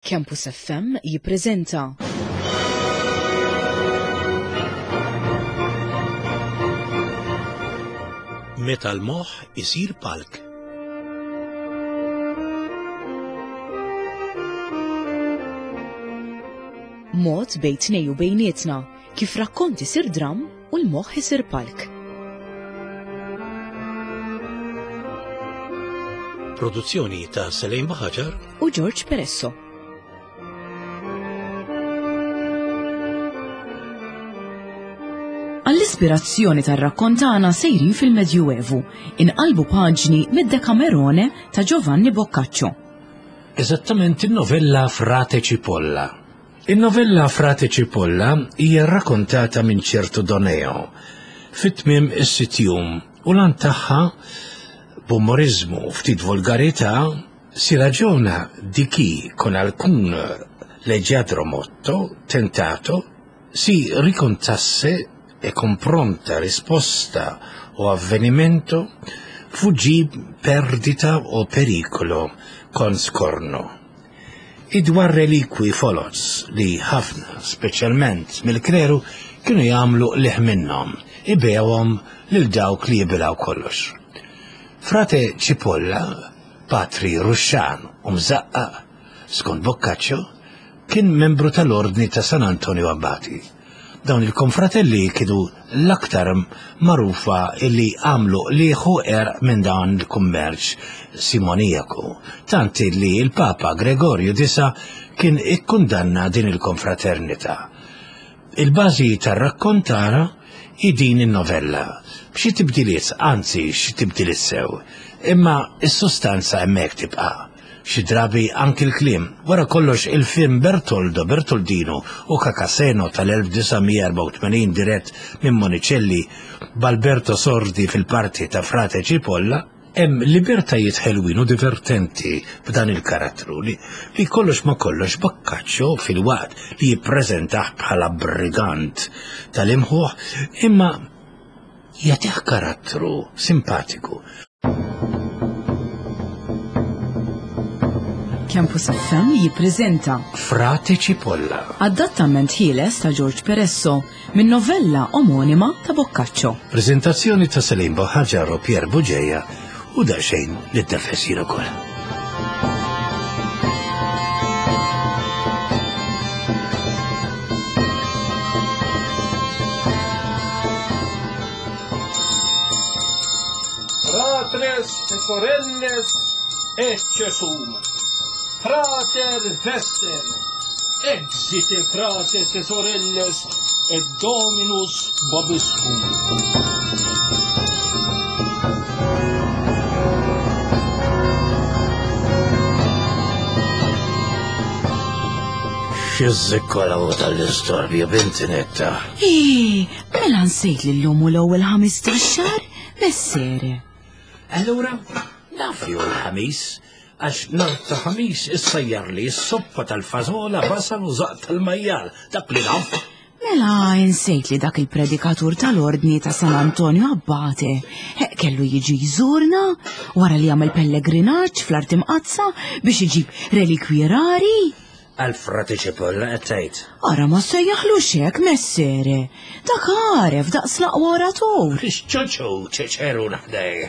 Campus FM jippreżenta. Meta l-moħħ isir palk. Mod bejn tnej u bejnietna kif rakkont isir dramm u l-moħħ isir palk. Produzzjoni ta' Selejn Baħaġar u George Peresso. Għall-ispirazzjoni tar-rakkont tagħna sejrin fil-Medjuevu, inqalbu paġni mid-Decamerone ta' Giovanni Boccaccio. Eżattament in-novella Frate Cipolla. In-novella Frate Cipolla hija rrakontata minn ċertu Doneo fi tmiem is-sitt jum u l-għan tagħha b'umoriżmu u ftit volgarità si ragiona di chi con alcun leggiadro motto tentato si ricontasse e con pronta risposta o avvenimento fuggì perdita o pericolo con scorno. Hi dwar relikwi foloz li ħafna, speċjalment mill-kleru, kienu jagħmlu qligħ minnhom, ibigħuhom lil dawk li jibilgħu kollox. Frate Cipolla, patri ruxxan u mżaqqaq, skont Boccaccio, kien membru tal-Ordni ta' San Antonio Abbati. Dawn il-konfratelli kienu l-aktar magħrufa illi għamlu qligħ u qerq minn dan il-kummerċ simonijaku, tant illi l-Papa Gregorju disa' kien ikkundanna din il-konfraternità. Il-bażi tar-rakkont tagħna hi din in-novella, b'xi tibdiliet, anzi xi tibdiliet sew, imma s-sustanza hemmhekk tibqa'. Xi drabi anki l-kliem. Wara kollox il-film Bertoldo, Bertoldino u Cacaseno tal-1984 dirett minn Monicelli b'Alberto Sordi fil-parti ta' Frate Cipolla, hemm libertajiet ħelwin u divertenti b'dan il-karattru li, li kollox ma kollox Boccaccio filwaqt li jippreżentah bħala brigant tal-imħuħ imma jagħtih karattru simpatiku. Campus FM jippreżenta Frate Cipolla. Adattament ħieles ta' George Peresso minn novella omonima ta' Boccaccio. Preżentazzjoni ta' Salim Boħaġar u Pier Buġeja u daqsxejn li tneffes ukoll. Fratres e sorelles, ecce sum. Frater vester, exite frates e sorelles, et Dominus vobiscum. Xizzikkolaw tal-istorbju binti netta. Ii, mela nsejt li l-lum u l-ewwel ħamis tax-xahar, messere. Allura, naf li hu l-ħamis, għax nhar ta' ħamis issajjarli s-soppa tal-fażola, basal u żaqq tal-majjal, dak li naf. Mela insejt li dak il-predikatur tal-ordni ta' San Antonio Abbate eh, kellu jiġi jżurna wara li għamel pellegrinaġġ fl-art imqaddsa biex iġib relikwi rari? Għal frati ċipolla qed tgħid. Ara ma sejjaħlux hekk messere. Dak għaref daqs l-aqwa oratur. X'ċoċu ċeċeru naħdej.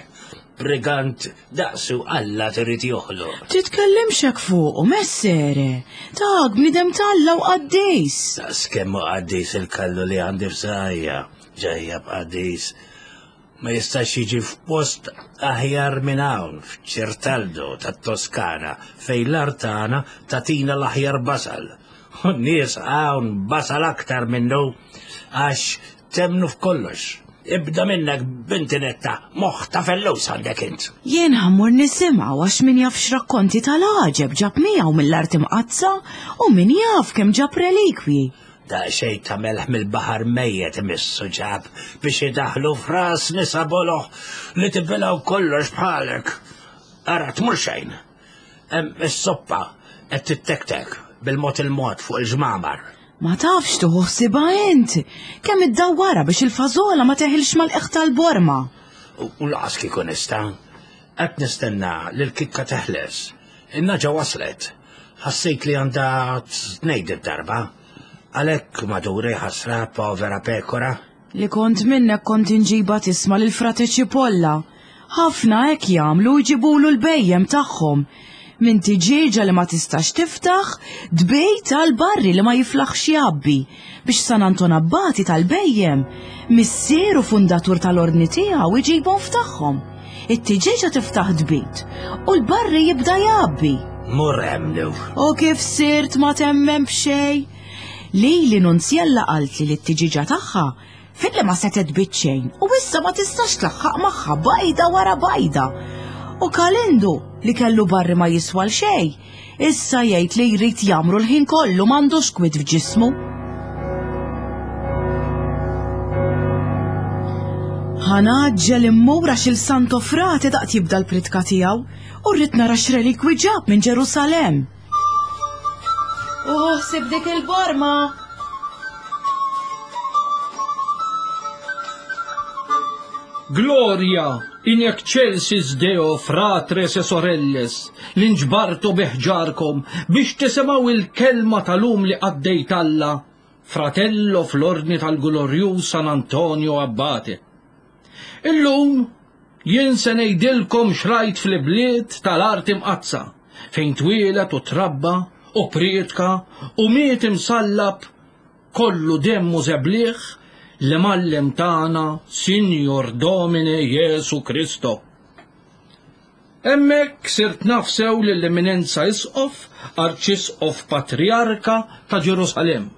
Brigant Daqsu Alla trid joħloq. Titkellimx hekk fuqu, messere. Dak bniedem t'Alla u qaddis. Daqs kemm hu qaddis il-kallu li għandi f'saqajja, ġejja b'qaddis. Ma jistax jiġi f'post aħjar minn hawn, f'Ċertaldo tat-Toskana, fejn l-art tagħna tagħtina l-aħjar basal. U n-nies hawn basal aktar minnu għax Temmnu f'kollox. Ibda minnek binti netta, moħħ ta' fellus għandek int. Jien ħammur nisimgħu għax min jaf x'rakkonti tal-għaġeb ġab miegħu mill-art imqaddsa u min jaf kemm ġab relikwi. Daqsxejn ta' melħ mill-baħar mejjet imissu ġab biex idaħħlu f'ras nisa boloh li tibilgħu kollox bħalek. Ara tmur xejn. Hemm is-soppa qed tittektek bil-mod il-mod fuq il-ġmamar. Ma tafx tuħu ħsiba int! Kemm iddawwarha biex il-fażola ma teħilx mal-qiegħ tal-borma. U laqas kieku nista'. Qed nistenna li l-kikka teħles. In-naġa waslet. Ħassejt li għandha tnejd id-darba. Għalhekk maduri ħasra povera pekora. Li kont minnek kont inġiba tisma' lil Frate Cipolla. Ħafna hekk jagħmlu jġibulu l-bhejjem tagħhom. Minn tiġieġa li ma tistax tiftaħ, tbejt għal barri li ma jiflaħx jgħabbi, biex San Anton Abbati tal-bhejjem, missier u fundatur tal-ordni tiegħu iġibhom f'tagħhom. It-tiġieġa tiftaħ tbid u l-barri jibda jgħabbi. Mur hemm lew. U kif sirt ma temmen b'xejn? Lili Nunzjella qaltli li t-tiġieġa tagħha filli ma setgħet tbid xejn u issa ma tistax tlaħħaq magħha bajda wara bajda. U Kalindu li kellu barri ma jiswa l xejn, issa jgħid li jrid jagħmru l-ħin kollu m'għandux kwit f'ġismu. Ħa ngħaġġel immur għax il-Santo Frate daqt jibda l-pritka tiegħu u rrid nara x'relikwi ġab minn Ġerusalemm. U ħsib dik il-borma! Gloria in excelsis Deo fratres e sorelles li nġbartu bi ħġarkom biex tisimgħu il-kelma tal-um li qaddejt Alla, fratello fl-ordni tal-glorjuż San Antonio Abbate. Illum jien se ngħidilkom x'rajt fl-ibliet tal-art imqaddsa, fejn twieled u trabba u prietka u miet imsallab kollu demm u żebliħ l-Imgħallem tagħna Sinjor Domine Jesu Kristo. Hemmhekk sirt naf sew lill-Eminenza Isqof, Arċisqof Patrijarka ta' Ġerusalemm.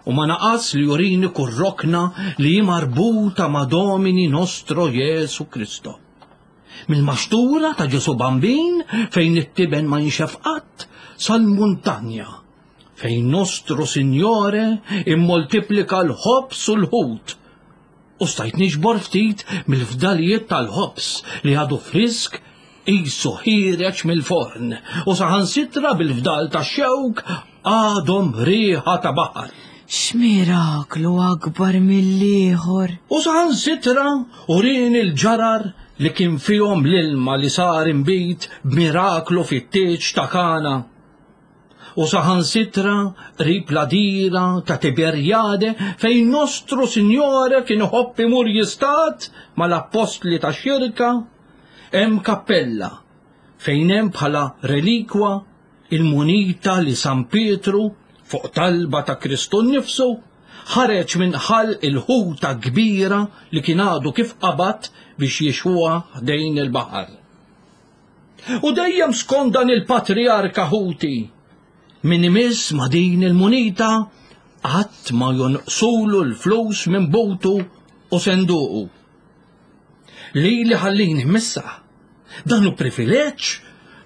U ma naqas li jurini kull rokna li hi marbuta ma' Domini Nostro Jesu Kristo. Mill-maxtura ta' Ġesu Bambin fejn it-tiben ma jinxef qatt sal-muntanja fejn Nostro Signore immoltiplika l-ħobż u l-ħut u stajt niġbor ftit mill-fdalijiet tal-ħobż li għadu frisk qisu ħiereġ mill-forn u saħansitra bil-fdal tax-xewk għadhom riħa ta' baħar. X'miraklu akbar mill-ieħor! U saħansitra urieni l-ġarar li kien fihom l-ilma li sar inbid b'miraklu fit-tieġ ta' Kana. U saħansitra qrib l-għadira ta' Tiberjade fejn Nostru Sinjore kien iħobb imur jistad mal-appostli tax-xirka, hemm kappella fejn hemm bħala relikwa il-munita li San Pietru, fuq talba ta' Kristu nnifsu, ħareġ minn ħalq il-ħuta kbira li kien għadu kif qabad biex jixwuha ħdejn il-baħar. U dejjem skont dan il-patrijarka ħuti, min imiss ma' din il-munita qatt ma jonqsulu l-flus minn butu u senduqu. Lili ħallini missa. Dan hu privileġġ,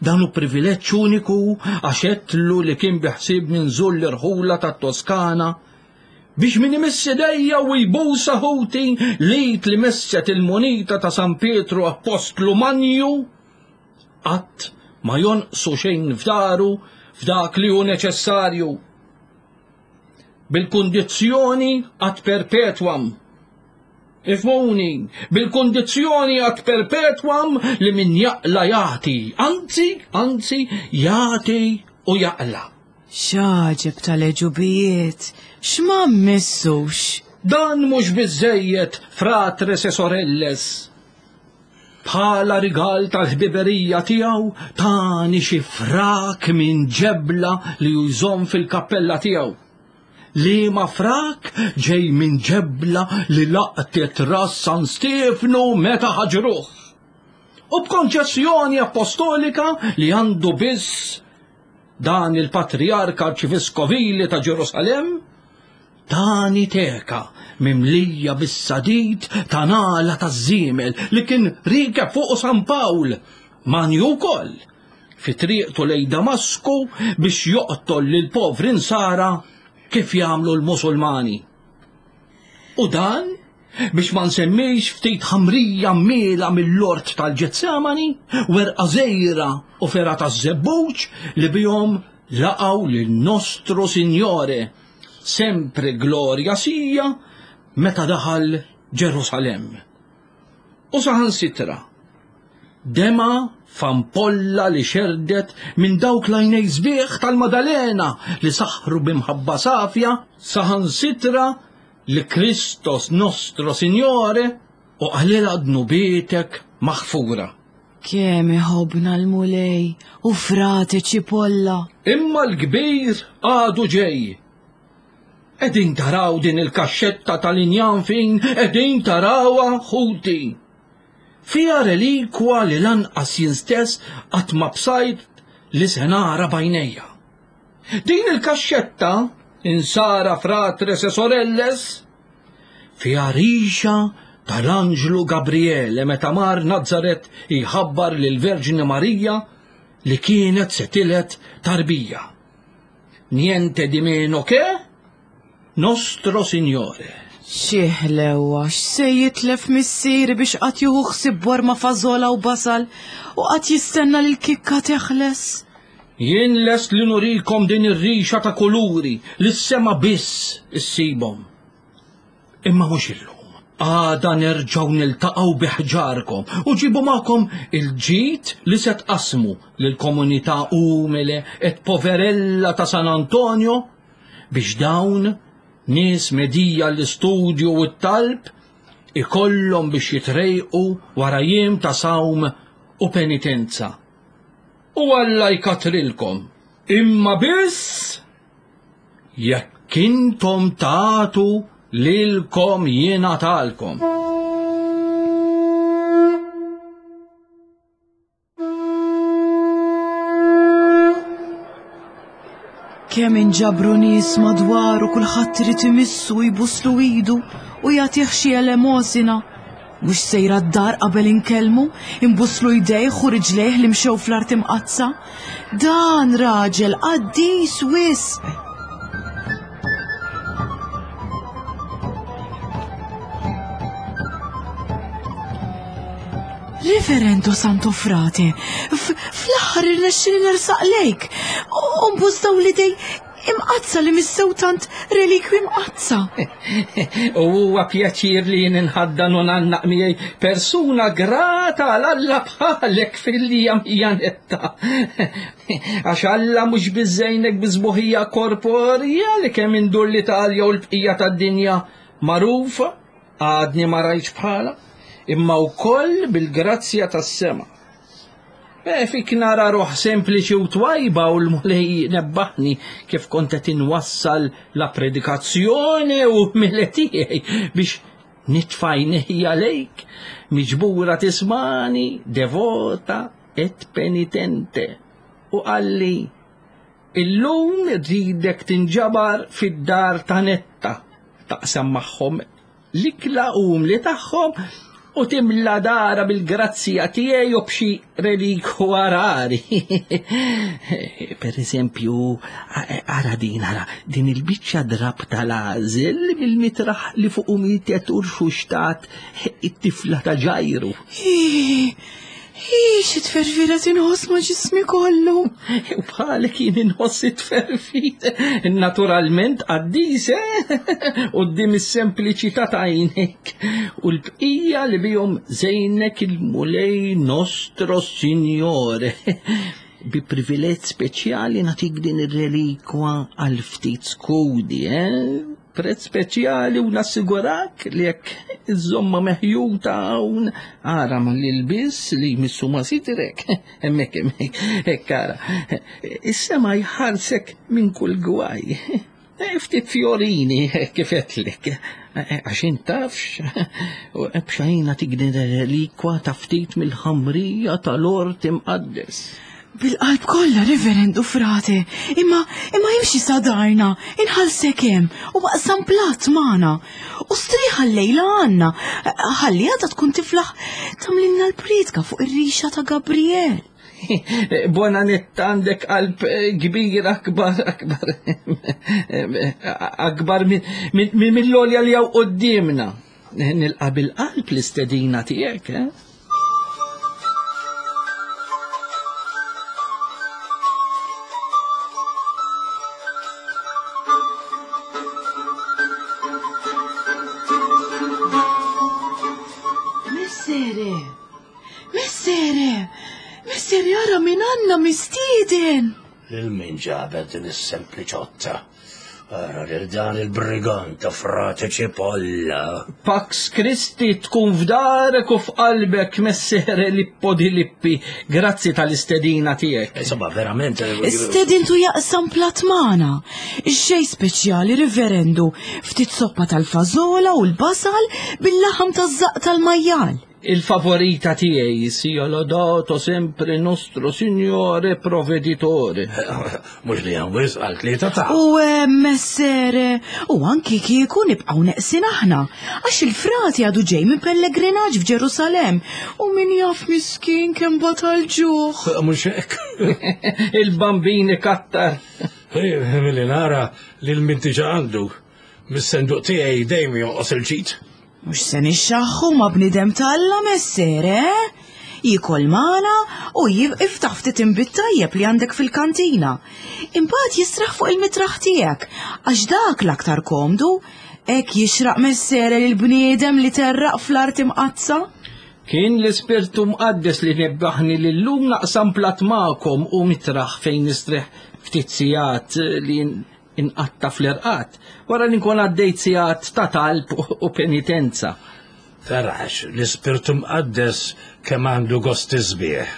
dan hu privileġġ uniku għax għedtlu li kien biħsiebni nżur l-irħula tat-Toskana biex min imiss idejja u jbusa ħuti l-id li messet il-munita ta' San Pietru Appostlu Manju qatt ma jonqsu xejn f'daru f'dak li hu neċessarju. Bil-kundizzjoni ad perpetuam Ifhmuni, bil-kundizzjoni ad perpetuam li min jaqla jagħti, anzi, anzi, jagħti u jaqla. X'għaġeb tal-għeġubijiet, x'ma mmissux! Dan mhux biżżejjed, fratres e sorelles. Bħala rigal tal-ħbiberija tiegħu tani xi frak minn ġebla li hu jżomm fil-kappella tiegħu. Liema frak ġej minn ġebla li laqtet ras San Stiefnu meta ħaġruh. U b'konċessjoni appostolika li għandu biss dan il-Patrijarka Arċiviskovili ta' Ġerusalemm, tani teka mimlija bis-sadid ta' nagħla taż-żiemel li kien rikeb fuqu San Pawl, manju wkoll, fi triqtu lejn Damasku biex joqtol lill-povri Nsara kif jagħmlu l-Musulmani. U dan biex ma nsemmix ftit ħamrija miela mill-ort tal-Ġetsemani, werqa żgħira u fergħa taż-żebbuġ li bihom laqgħu lil Nostro Signore, sempre gloria sia, meta daħal Ġerusalemm. U saħansitra. Dema f'ampolla li xerdet minn dawk l-għajnej sbieħ tal-Madalena li saħħru b'imħabba safja saħansitra li Kristos Nostro Signore u qalilha dnubietek maħfura. Kemm iħobbna l-Mulej u frate Ċipolla! Imma l-kbir għadu ġej. Qegħdin taraw din il-kaxxetta tal-injam fin, qegħdin tarawha ħuti. Fiha relikwa li lanqas jien stess qatt ma bsajt li se nara b'għajnejja. Din il-kaxxetta, insara fratres e sorelles, fiha rixa tal-anġlu Gabriele meta mar Nazaret jħabbar lill-Verġni Marija li kienet se tiled tarbija. Niente di meno che Nostro Signore. Xi ħlewwa, x'se jitlef missieri biex qatt jieħu ħsieb borma fażola u basal u qatt jistenna li l-kikka teħles. Jien lest li nurikom din ir-rixa ta' kuluri li s-sema biss issibhom. Imma mhux illum. Għada nerġgħu niltaqgħu bi ħġarkom u ġibu magħkom il-ġid li se tqassmu lill-komunità umile et poverella ta' San Antonio biex dawn nies medija l-istudju u t-talb ikollhom biex jitrejqu wara jiem ta' sawm u penitenza. U Alla jkatrilkom, imma biss jekk intom tagħtu lilkom jingħatalkom. Kemm inġabru nies madwaru kulħadd irid imissu jbuslu idu u jagħtih xi elemosina. Mhux sejra d-dar qabel inkellmu, imbuslu jdejh u riġlejh li mxew fl-art imqaddsa. Dan raġel qaddis wisq. Reverendo Santo Frate, fl-aħħar irnexxili nersaq lejk. U nbus dawn l-idej Imqaddsa li missew tant relikwi mqaddsa. U huwa pjaċir li jien inħaddan u ngħannaq miegħi persuna grata għal Alla bħalek fil-lija Janetta. Għax Alla mhux biżejnek bi sbuħija korporja li kemm indur l-Italja u l-bqija tad-dinja magħrufa, għadni ma rajtx bħala, imma wkoll bil-grazzja tas-sema. Eh, fik nara ruħ sempliċi u twajba u l-mulej nebbaħni kif kont qed inwassal la predikazzjoni u mile tiegħi biex nitfajnejja lejk, miġbura tismani, devota et penitente. U qalli, illum rridek tinġabar fid-dar ta' netta, taqsam magħhom l-ikla umli tagħhom u timla dara bil-grazzja tiegħi u b'xi relikwa rari. Per eżempju, ara din, ara, din il-biċċa drab tal-għażel mill-mitraħ li fuq mietet u rxuxtat it-tifla ta' Ġajru. Hi, xi tferfira tinħoss ma' ġismi kollu. U bħalek jien inħoss it-tferfir. Naturalment qaddis, eh? Quddiem is-sempliċità ta' għajnejk. U l-bqija li bihom żejnek il-Mulej Nostro Signore. Bi privileġġ speċjali nagħtik din ir-relikwa għal ftit skudi, eh? Prezz speċjali u nassigurak li jekk iżżommha meħjuta hawn ara ma l-ilbies li jmissu ma sitrek. Hemmhekk hemmhekk, hekk ara. Is-sema jħarsek minn kull gwaj. Eh, ftit fjorini kif għedtlek. Eh, għax int tafx, b'xajna tigni relikwa ta' ftit mill-ħamrija tal-ort imqaddes. Bil-qalb kollha, Reverendu Frate, imma imma imxi sa darna, inħallsek hemm u aqsam platt magħna. U strieħ llejla għandna, ħalli għada tkun tiflaħ tagħmlilna l-priedka fuq ir-rixa ta' Gabriel. Bona netta għandek qalb eh, kbira akbar akbar akbar mill-olja li hawn quddiemna. Nilqa' bil-qalb l-istedina tiegħek, eh? Messere! Messere! Għandna mistieden! Lil min ġabet din is-sempliċotta? Ara lil dan il-brigant ta' frate Cipolla. Pax Christi tkun f'darek u f'qalbek messere Lippo di Lippi. Grazzi tal-istedina tiegħek. Insomma, verament. Stedintu jaqsam plat magħna. Xejn speċjali, riverendu, ftit soppa tal-fażola u l-basal bil-laħam taż-żaqq tal-majjal. Il-favorita tiegħi sia lodato sempre nostro Signore Provveditore. Mhux li hemm wisq għal tlieta ta'. U eh, messere, u anki kieku nibqgħu neqsin aħna, għax il-frati għadu ġej minn pellegrinaġġ f'Ġerusalemm u min jaf miskin kemm batal ġuħ. Mhux hekk. Il-bambini kattar. Milli nara lil min diġà għandu. Mis-senduq tiegħi dejjem jonqos il-ġid. Mhux se nixxaħħu ma' bniedem t'Alla messere, eh? Jiekol magħna u iftaħ ftit inbid tajjeb li għandek fil-kantina. Imbagħad jistraħ fuq il-mitraħ tiegħek għax dak l-aktar komdu. Hekk jixraq messere lil bniedem li terraq fl-art imqaddsa. Kien l-Ispirtu Mqaddes li nebbaħni li llum naqsam platt magħkom u mitraħ fejn nistrieħ ftit sigħat li inqatta' fl-irqad, wara li nkun għaddejt sigħat ta' talb u penitenza. Tarax, l-Ispirtu Mqaddes kemm għandu gosti sbieħ.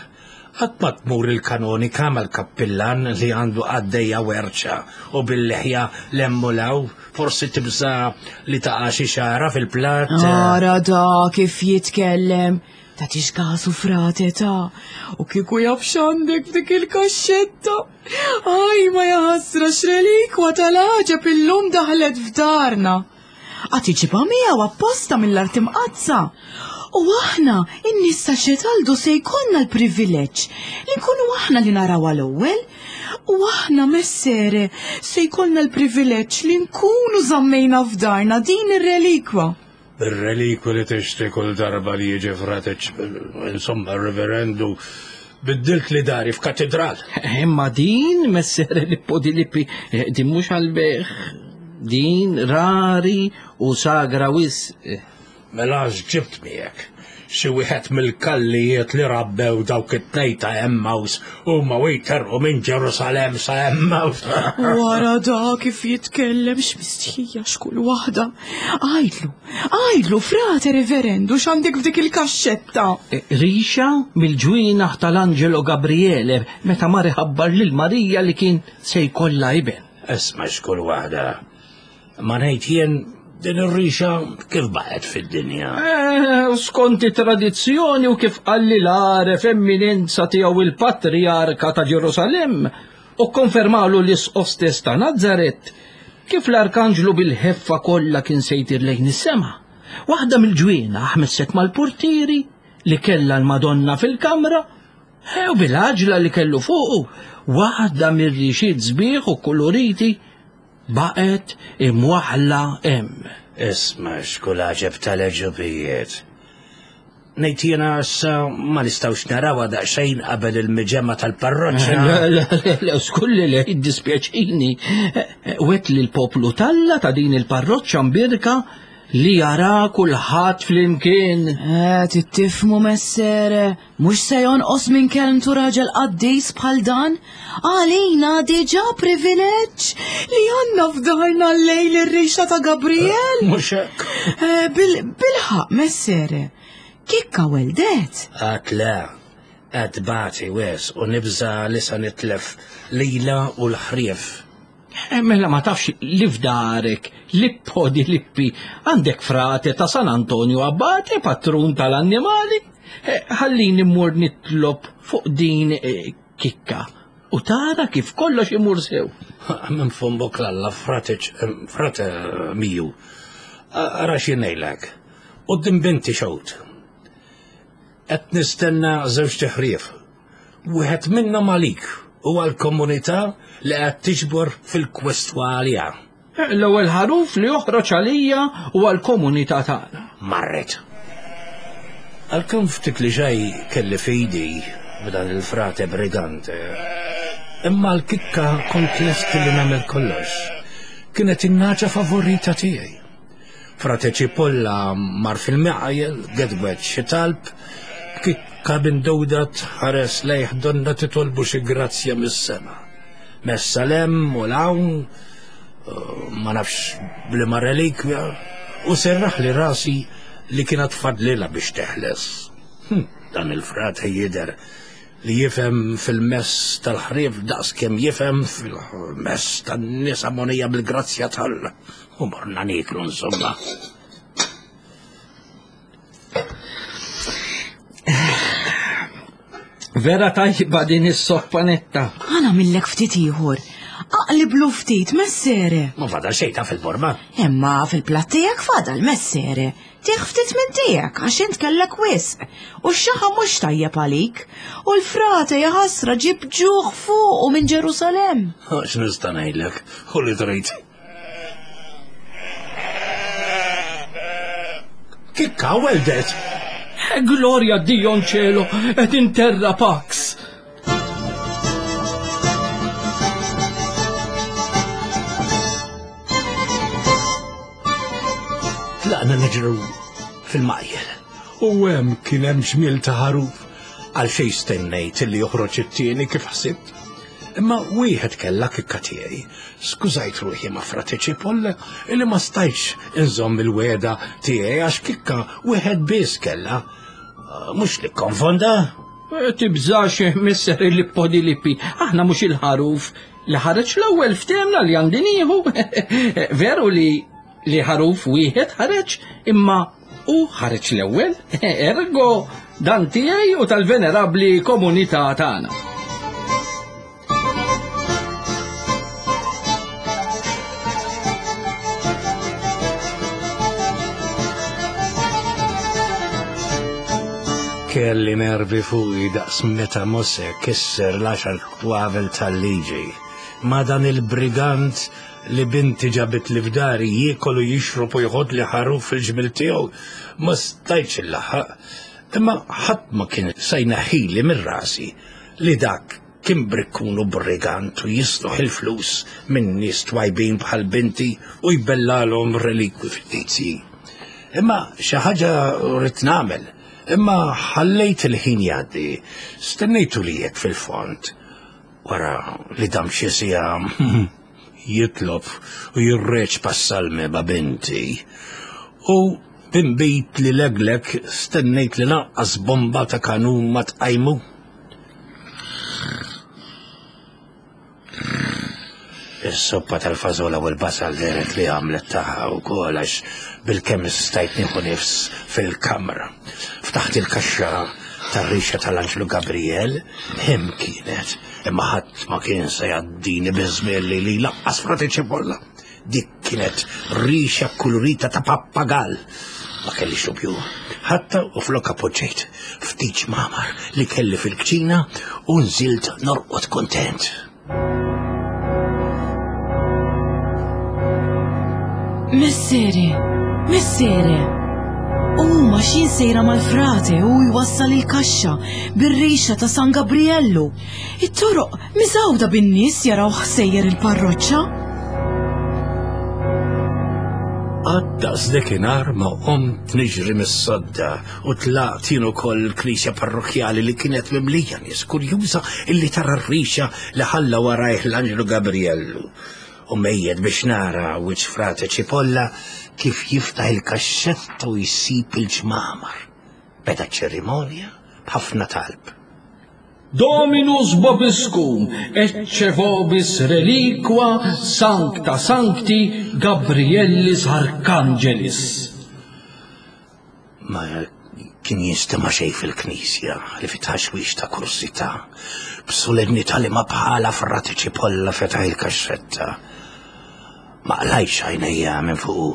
Qatt ma tmur il-kanonika mal-kappillan li għandu qaddejja werċa u bil-leħja 'l hemm u 'l hawn, forsi tibża' li taqa' xi xagħra fil-platt. Ara da kif jitkellem! Tagħtix kasu frate ta' u kieku jaf x'għandek f'dik il-kaxxetta. Aj ma jaħasra x'relikwa tal-għaġeb illum daħlet f'darna. Għad iġibha miegħu apposta mill-art imqaddsa. U aħna, in-nies ta' Xetaldu se jkollna l-privileġġ li nkunu aħna li narawha l-ewwel. U aħna, messere, se jkollna l-privileġġ li nkunu żammejna f'darna din ir-relikwa. Ir-relikwi li tixtri kull darba li jiġi frateċ, insomma, reverendu, biddilt li dari f'katedral. Imma din, messere Lippo di Lippi, eh, din mhux għal-beħ, din rari u sagra wis. Mela ġibt miegħek xi wieħed mill-kallijiet li rabbew dawk it-tnejn ta' Emmaus huma u jterqu minn Ġerusalemm sa Emmaus. Wara da kif jitkellem x'mistħija x'kull waħda. Għidlu, għidlu frate reverendu x'għandek f'dik il-kaxxetta. E, rixa mill-ġwienaħ tal-Angelo Gabriele meta mar iħabbar lil Marija li kien se jkollha iben. Isma' x'kull waħda. Ma ngħid jien din ir-rixa kif baqgħet fid-dinja? Eh, skont it-tradizzjoni u kif qalli l-għaref emminenza tiegħu il-Patrijarka ta' Ġerusalemm u konfermalu l-isqof stess ta' Nazaret kif l-arkanġlu bil-ħeffa kollha kien se jtir lejn is-sema. Waħda mill-ġwienaħ messet mal-purtieri li kellha l-Madonna fil-kamra u bil-għaġla li kellu fuqu waħda mir-rixiet sbieħ u kuluriti Baqgħet imwaħħla hemm. Isma' x'kull għaġeb tal-għeġubijiet. Ngħid jiena issa ma nistgħux narawha daqsxejn qabel il-miġemgħa tal-parroċċa. Le, le, le, le, skulli le, jiddispjaċini. Wet li l-poplu talla ta' din il-parroċċa mbirka li jara kulħadd flimkien. Eh, tittifmu messere, Mhux se jonqos minn kelmtu raġel qaddis bħal dan? Għalina diġà privileġġ li għandna f'darna llejl ir-rixa ta' Gabriel. Mhux hekk. Eh, bil-ħaqq, messere. Kikka weldet. Għad le, qed bati wis u nibża' li se nitlef lilha u l-ħrief. Eh, mela ma tafx li f'darek, Lippo di Lippi, għandek frate ta' San Antonio Abate, patrun tal-annimali? Eh, ħallini mmur nitlob fuq din eh, kikka u tara kif kollox imur sew. Minn fombok l-alla, frate, frate miju, ara xinejlek, u din binti xewt. Qed nistenna żewġ tiħrief Wieħed minnhom għalik u għall-komunità li qed tiġbor fil-kwestwa għaliha. L-ewwel ħaruf li joħroġ għalija u għall-komunità tagħna. Marret. Għalkemm ftit li xejn kelli fidi b'dan il-frate brigante, imma l-kikka kont lest li nagħmel kollox. Kienet in-nagħġa favorita tiegħi. Frate Cipolla mar fil-miqajel, gedwed xi talb, Kikka bindowda tħares lejh donna titolbu xi grazzja mis-sema. Messa lem u l-hawn, ma nafx bliema relikwja, u serraħ li rasi li kienet fadlilha biex teħles. Hm, dan il-frate jidher li jifhem fil-mess tal-ħrief daqs kemm jifhem fil-mess tan-nisa monija bil-grazzja tal U morna nieklu insomma. Vera tajba din is-soppa netta. Għana millek ftit ieħor. Aqliblu ftit messere. Ma fadal xejn ta' fil-borma. Imma fil-platt tiegħek fadal messere. Tieħ ftit minn tiegħek għax int kellek wisq. U x-xaħa mhux tajjeb għalik. U l-frate jaħasra ġib ġuħ fuqu minn Ġerusalemm. X'nista' ngħidlek, u li trid. Kikka weldet! Gloria Dio cielo et in terra pax. Tlaqna niġru fil-majjel. U hemm kien hemm ġmiel ta' ħaruf għal xejn stennejt li joħroġ it-tieni kif ħsibt. Imma wieħed kellha kikka tiegħi. Skużajt ruħi ma' Frate Cipolla illi ma stajtx inżomm il-wegħda tiegħi għax kikka wieħed biss kellha. Mhux li konfonda? Eh, tibżax misser il-lippo di lippi, aħna mhux il-ħaruf li ħareġ l-ewwel ftehmna li għandi nieħu. Veru li li ħaruf wieħed ħareġ imma u ħareġ l-ewwel, ergo dan tiegħi u tal-venerabbli komunità tagħna. Kelli nervi fuqi daqs meta Mose kisser l-għaxar twavel tal-liġi. Ma dan il-brigant li binti ġabitli f'dari jiekol u jixrob u jħodli ħaruf fil-ġmiel tiegħu, ma stajtx illaħħaq. Imma ħadd ma kien se jneħħili minn rasi li dak kien brikkun u brigant u jisluħ il-flus minn nies twajbin bħal binti u jbellalhom relikwi fittizji. Imma xi ħaġa rrid nagħmel. Imma ħallejt il-ħin jgħaddi, stennejtu li jekk fil-fond. Wara li dam xi siegħa jitlob u jirreċpa s-salmi ma' binti. U b'imbit li leglek stennejt li lanqas bomba ta' kanun ma tqajmu. Is-soppa tal-fażola u l-basal dehret li għamlet tagħha wkoll għax bilkemm stajt nieħu nifs fil-kamra. Ftaħt il-kaxxa tar-rixa tal-Anġlu Gabriel, hemm kienet, imma ħadd ma kien se jgħaddini biż-żmien li li laqqas frati ċipolla. Dik kienet rixa kulurita ta' pappagall. Ma kellix dubju. Ħatta u flok appoġġejt ftit ġmamar li kelli fil-kċina u nżilt norqod kontent. Messere, messere. U ma xin sejra mal-frate u jwassal il-kaxxa bir-rixa ta' San Gabriellu. It-toroq miżgħuda bin-nies jaraw ħsejjer il-parroċċa. Għaddas dakinhar ma qomt niġri mis-sodda u tlaqt jien ukoll il-knisja parrokkjali li kienet mimlija nies kurjuża illi tara r-rixa li ħalla warajh l-Anġlu Gabriellu. U mejjet biex nara wiċċ Frate Cipolla kif jiftaħ il-kaxxetta u jsib il-ġmamar. Beda ċ-ċerimonja b'ħafna talb. Dominus vobiscum, ecce vobis reliqua sancta sancti Gabriellis Archangelis. Ma kien jinstema' xejn fil-knisja li fi tħaxwix ta' kursità. B'solennità li ma bħala Frate Cipolla fetaħ il-kaxxetta. Ma qlajtx għajnejja minn fuqu,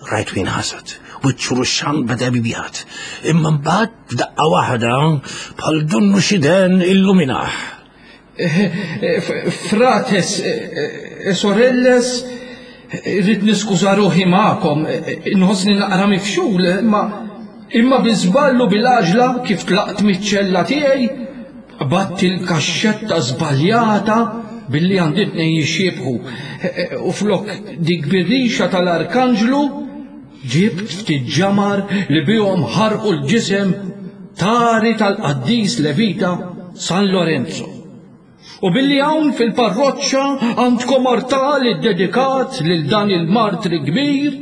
rajtu jinħasad, wiċċu ruxxan beda jbjad. Imma mbagħad f'daqqa waħda bħal dunnu xi den illuminah. Frates e sorelles, irrid niskuża ruħi magħkom, inħossni naqra mifxul, imma imma bi żball u bil-għaġla kif tlaqt miċ-ċella tiegħi, Qbadt il-kaxxetta żbaljata billi għandi tnejn jixxiebħu u flok dik bir-rixa tal-arkanġlu ġibt ftit ġamar li bihom ħarqu l-ġisem. tari tal-qaddis Levita San Lorenzo. U billi hawn fil-parroċċa għandkom artal iddedikat lil dan il-martri kbir,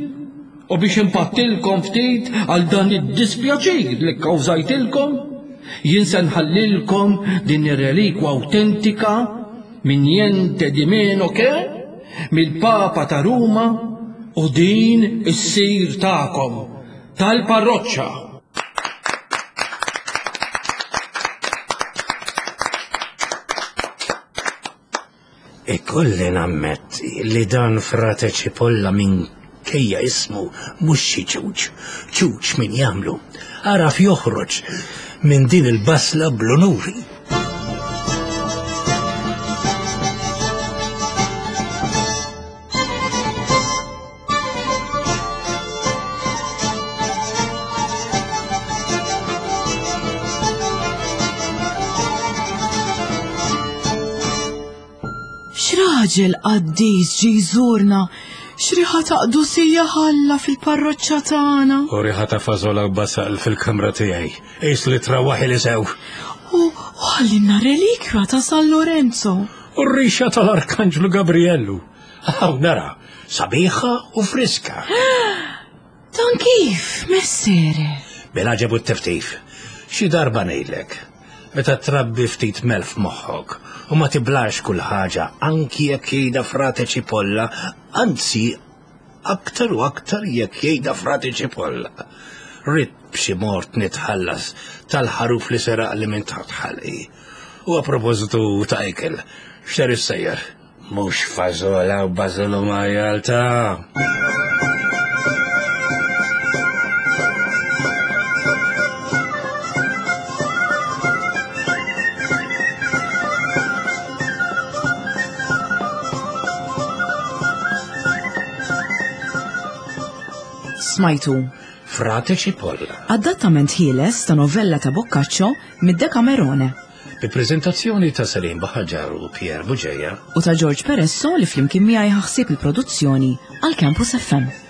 u biex impattilkom ftit għal dan id-dispjaċir li kkawżajtilkom, jien se nħallilkom din ir-relikwa awtentika minn niente di meno che mill-Papa ta' Ruma u din issir tagħkom tal-parroċċa. Ikolli nammetti li dan Frate Cipolla minkejja ismu mhux xi ċuċ, ċuċ min jagħmlu. Għaraf joħroġ minn din il-basla bl-unuri. X'raġel qaddis ġie jżurna, x'riħa ta' qdusija ħalla fil-parroċċa tagħna. U riħa ta' fażola u basal fil-kamra tiegħi. Qis li trawaħi li sew. U ħallinna relikwja ta' San Lorenzo. U r-rixa tal-Arkanġlu Gabriellu. Hawn nara, sabiħa u friska. Dan kif, messere? Bil-għaġeb u t-tiftif. Xi darba ngħidlek, meta trabbi ftit melf moħħok u ma tiblax kull ħaġa anki jekk jgħidha frate ċipolla, anzi aktar u aktar jekk jgħidha frate ċipolla. Rid b'xi mort nitħallas tal-ħaruf li seraq li minn taħt ħalqi. U a propositu ta' ikel, x'ser issejjer? Mhux fażola u bażolu majjal ta'. Smajtu. Frate Cipolla. Adattament ħieles ta' novella ta' Boccaccio mid-Decamerone. Bi preżentazzjoni ta' Salim Baħaġar u Pierre Bugeja. U ta' George Peresso li flimkien miegħi ħaħsib il-produzzjoni għal Campus FM.